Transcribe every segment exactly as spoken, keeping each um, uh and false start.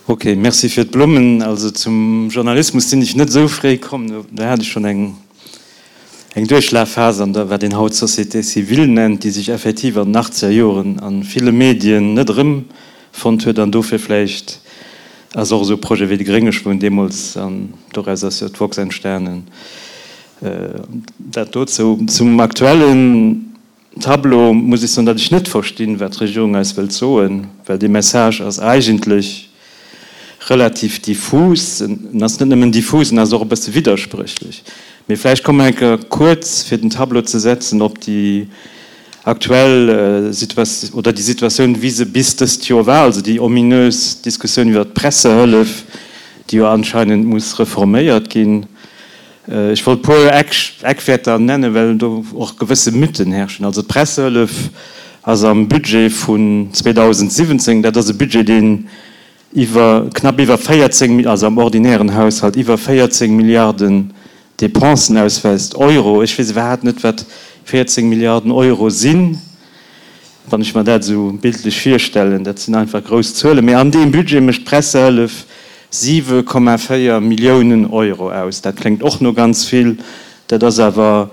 Ok, Merci fir d'Blummen. Also zum Journalismus sinn ech net esou fréi komm, do hat ech schonn eng eng Duerchlafphas an der, wat een haut Société civile nennt, déi sech effektiv an den achtzeger Joren a ville Medien net erëmfonnt huet an dofir vläicht ass och esou e Projet wéi de Grénge Schwun deemools, an doraus ass jo d'woxx entstanen. Dat dozou. Zum aktuellen Tableau muss ech soen, datt ech net verstinn, wat d'Regierung eis wëllt soen, well dee Message ass eigentlech relativ diffus. En ass net nëmmen diffus, en ass och e bësse widderspréchlech. Mee vläicht komme mer eng Kéier kuerz, fir den Tableau ze setzen, op déi aktuell Situatioun oder déi Situatioun, wéi se bis dëst Joer war, also déi ominös Diskussioun iwwert d'Pressehëllef, déi jo anscheinend muss reforméiert ginn. Ech wollt e puer Eckwäerter nennen, well do och gewësse Mythen herrschen. Also d'Pressehëllef ass am Budget vun zweedausendsiwwenzéng, dat ass e Budget, deen iwwer, knapp iwwer véierzéng, also am ordinären Haushalt, iwwer véierzéng Milliarden Dépensen ausweist, Euro. Ech weess iwwerhaapt net, wat véierzéng Milliarden Euro sinn, wann ech mer dat esou bildlech virstellen. Dat sinn einfach grouss Zuelen. Mee an deem Budget mécht d'Pressehëllef siwe Komma véier Milliounen Euro aus. Dat kléngt och no ganz vill, dat ass awer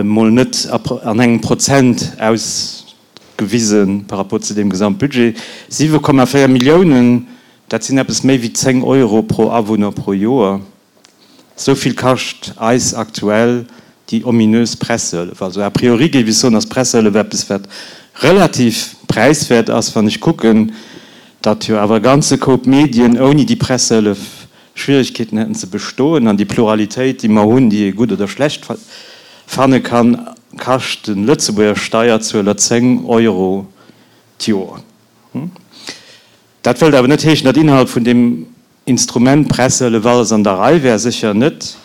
mol net an engem Prozent ausgewise par rapport zu deem Gesamtbudget. Siwe Komma véier Milliounen, dat sinn eppes méi wéi zéng Euro pro Awunner pro Joer. Esou vill kascht eis aktuell déi ominös Pressehëllef. Also a priori géif ech soen, ass d'Pressehëllef eppes, wat relativ präiswäert ass, wann ech kucken, datt jo awer e ganze Koup Medien ouni déi Pressehëllef Schwierigkeeten hätten ze bestoen. An déi Pluralitéit, déi mer hunn, déi ee gutt oder schlecht fanne kann, kascht de Lëtzebuerger Steierzueler zéng Euro d'Joer. Dat wëllt awer net heeschen, datt innerhalb vun deem Instrument Pressehëllef alles an der Rei wär. Sécher net.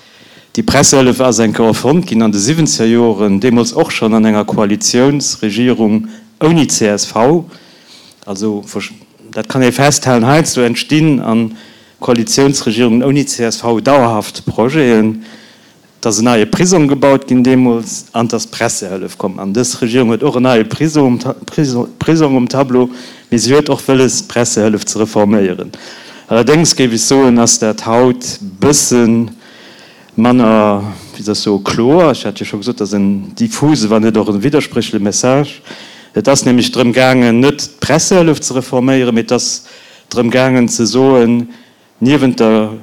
Déi Pressehëllef ass eng Kéier erfonnt ginn an de siwwenzeger Joren, deemools och schonn an enger Koalitiounsregierung ouni C S V. Also dat kann ee festhalen, heiansdo entstinn a Koalitiounsregierungen ouni C S V dauerhaft Projeten. Et ass en neie Prisong gebaut ginn deemools an et ass d'Pressehëllef komm. An dës Regierung huet och en neie Prisong um Tableau, mee si huet och wëlles, d'Pressehëllef ze reforméieren. Allerdéngs géif ech soen, ass dat haut bësse manner, wéi soll ech soen, kloer. Ech hat jo scho gesot, dat ass en diffuse, wann net och e widderspréchleche Message. Et ass nämlech drëm gaangen, net d'Pressehëllef ze reforméieren, mee et ass drëm gaangen ze soen, niewent der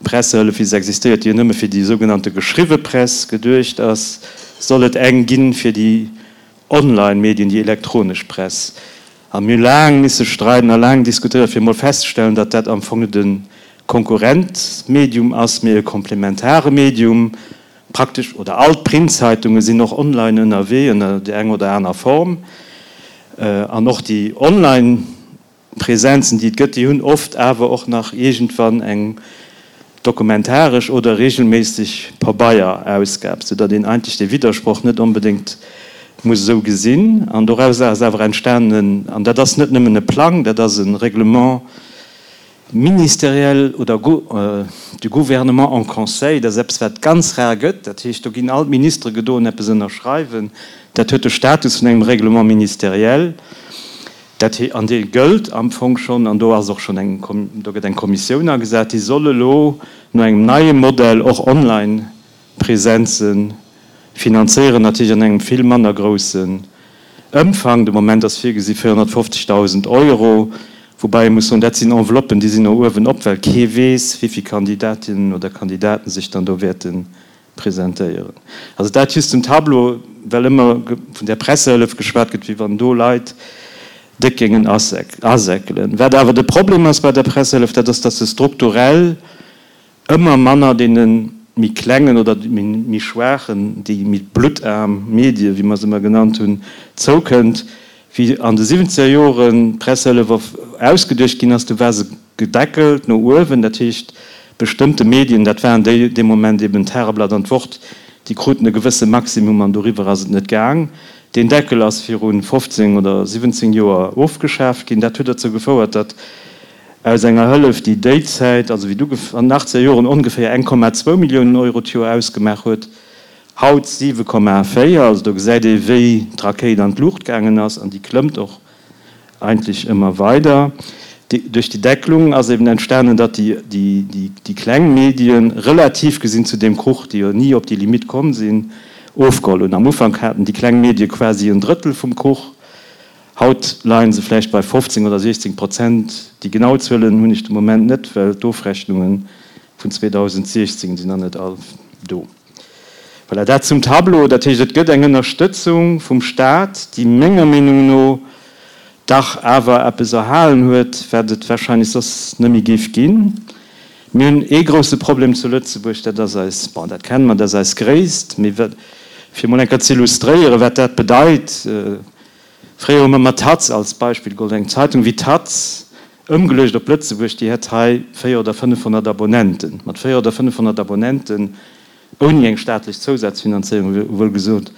Pressehëllef, wéi se existéiert, déi jo nëmme fir déi sougenannte geschriwwe Press geduecht ass, soll et eng ginn fir déi Online-Medien, déi elektronesch Press. A mir hu laang misse streiden a laang diskutéieren, fir emol festzestellen, datt dat am Fong net e Konkurrentmedium ass, mee e komplementare Medium. Praktesch oder all d'Printzeitungen sinn och online ënnerwee, ënner där enger oder aner Form. An och déi online. Presenzen, déi et gëtt, déi hunn oft awer och nach iergendwann eng dokumentaresch oder regelméisseg Pabeierausgab, soudatt een eigentlech dee Widdersproch net onbedéngt muss esou gesinn. An doraus ass awer entstanen, an dat ass net nëmmen e Plang, dat ass e Règlement ministériel oder du Gouvernement en Conseil, dat ass eppes, wat ganz rar gëtt, dat heescht, do ginn all d'Ministere gedoen eppes ënnerschreiwen, dat huet de Status vun engem Règlement ministériel. Dat hee, an dee gëllt am Fong schonn, an do ass och schonn eng, do gëtt eng Kommissioun agesat, déi soll elo no engem neie Modell och Online-Presenze finanzéieren, natierlech an engem vill manner groussen Ëmfang. De Moment ass virgesi véierhonnertfofzegdausend Euro, woubäi ee muss soen, dat sinn Enveloppen, déi sinn no uewen op, well kee weess, wéi vill Kandidatinnen oder Kandidaten sech dann do wäerte presentéieren. Also dat just zum Tableau, well ëmmer vun där Pressehëllef geschwat gëtt, wéi wann do Leit déck géingen asäckelen. Wat awer de Problem ass bei der Pressehëllef, dat ass, datt se strukturell ëmmer manner deene méi klengen oder méi schwaachen, déi méi bluttarm Medie, wéi mer se ëmmer genannt hunn, zoukënnt. Wéi an de siwwenzeger Joren d'Pressehëllef ausgeduecht ginn ass, du war se gedeckelt no uewen. Dat heescht, bestëmmte Medien, dat waren déi dee Moment eben d'Tageblatt an d'Wort, déi kruten e gewësse Maximum an doriwwer ass et net gaang. Deen Deckel ass viru fofzéng oder siwwenzéng Joer ofgeschaaft ginn. Dat huet derzou gefouert, datt aus enger Hëllef, déi déi Zäit, also wéi du an den achtzeger Joren, ongeféier eng Komma zwou Milliounen Euro d'Joer ausgemaach huet, haut siwe Komma véier. Also do gesäit ee wéi d'Rakéit an d'Luucht gaangen ass an déi klëmmt och eigentlech ëmmer weider. Duerch déi Deckelung ass eben entstanen, datt déi, déi, déi, déi kleng Medien relativ gesinn zu deem Kuch, déi jo ni op déi Limite komm sinn, ofgeholl hunn. Am Ufank haten déi kleng Medie quasi en Drëttel vum Kuch, haut leie se vläicht bei fofzéng oder siechzéng Prozent. Déi genau Zuelen hunn ech de Moment net, well d'Ofrechnunge vun zweedausentsiechzéng sinn nach net all do. Voilà, dat zum Tableau. Dat heescht, et gëtt eng Ënnerstëtzung vum Staat, déi menger Meenung no dach awer eppes erhalen huet, wat et wahrscheinlech soss net méi géif ginn. Mir hunn ee grouse Problem zu Lëtzebuerg, dat ass eis, bon, dat kenne mer, dat ass eis Gréisst. Mee wat, fir emol eng Kéier ze illustréieren, wat dat bedeit, fréier hu mer mat d'Taz als Beispill geholl, eng Zeitung wéi d'Taz, ëmgeluecht op Lëtzebuerg, déi hätt hei véier oder fënnefhonnert Abonnenten. Mat véier oder fënnefhonnert Abonnenten, ouni eng staatlech Zousazfinanzéierung, wuel gesot,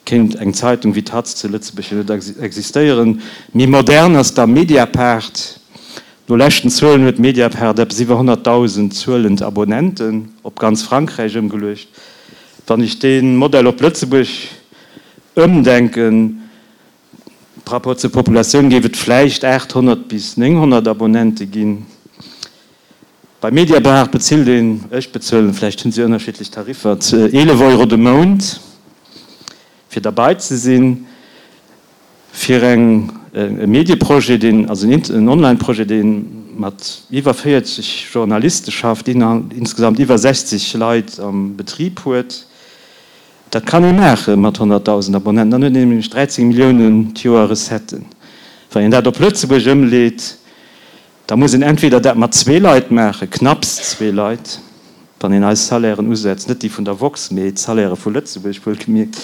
kéint eng Zeitung wéi d'Taz zu Lëtzebuerg jo net existéieren. Méi modern ass da Mediapart. No leschten Zuelen huet Mediapart eppes iwwer honnertdausend zuelend Abonnenten, op ganz Frankräich ëmgeluecht. Wann ech dee Modell op Lëtzebuerg ëmdenken, par rapport zur Populatioun, géif et vläicht aathonnert bis nénghonnert Abonnente ginn. Bei Mediapart bezilt een, ech bezuelen, vläicht hunn si ënnerschiddlech Tariffer, eelef Euro de Mount, fir derbei ze sinn, fir eng e Medieprojet, deen, also en Online-Projet, dee mat iwwer véierzeg Journaliste schafft, insgesamt iwwer sechzeg Leit am Betrib huet. Dat kann ee maache mat honnertdausend Abonnenten, dann huet een nämlech dräizéng Milliounen d'Joer Recetten. Wann een dat op Lëtzebuerg ëmleet, da muss een entweder dat mat zwee Leit maachen, knapps zwee Leit, wann een eis Salairen usetzt, net déi vun der Woxx, mee d'Salaire vu Lëtzebuerg wuelgemierkt,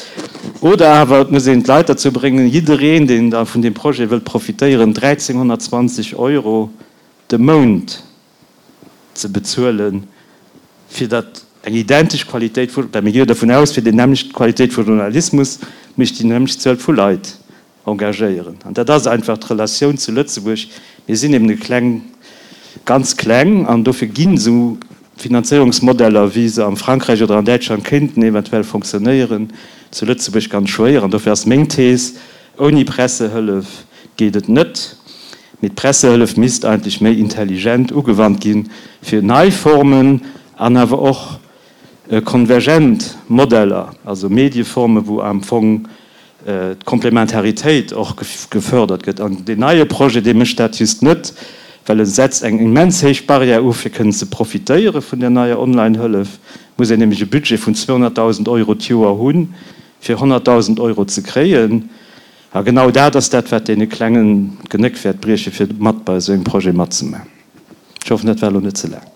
oder awer et muss een d'Leit derzou bréngen, jiddereen, deen da vun deem Projet wëllt profitéieren, dräizénghonnertzwanzeg Euro de Mount ze bezuelen, fir datt eng identesch Qualitéit vu, well mir gi jo dervun aus, fir déi nämmlecht Qualitéit vu Journalismus muss ech déi nämmlecht Zuel vu Leit engagéieren. An dat ass einfach d'Relatioun zu Lëtzebuerg. Mir sinn eben e kleng, ganz kleng, an dofir ginn esou Finanzéierungsmodeller, wéi se am Frankräich oder an Däitschland kéinten eventuell fonctionnéieren, zu Lëtzebuerg ganz schwéier. An dofir ass meng Thees, Ouni Pressehëllef geet et net, mee d'Pressehëllef misst eigentlech méi intelligent ugewannt ginn, fir nei Formen an awer och konvergent Modeller, also Medieformen, wou am Fong d'Komplementaritéit och gefördert gëtt. An deen neie Projet, dee mécht dat just net, well e setzt eng immens héich Barrière u fir kënnen ze profitéiere vun där neier Online-Hëllef. Muss een nämlech e Budget vun zweehonnertdausend Euro d'Joer hunn, fir honnertdausend Euro ze kréien. A genau dat ass dat, wat deene Klengen d'Genéck wäert briechen, fir mat bei esou engem Projet matzemaachen. Ech hoffen, dat war elo net ze laang.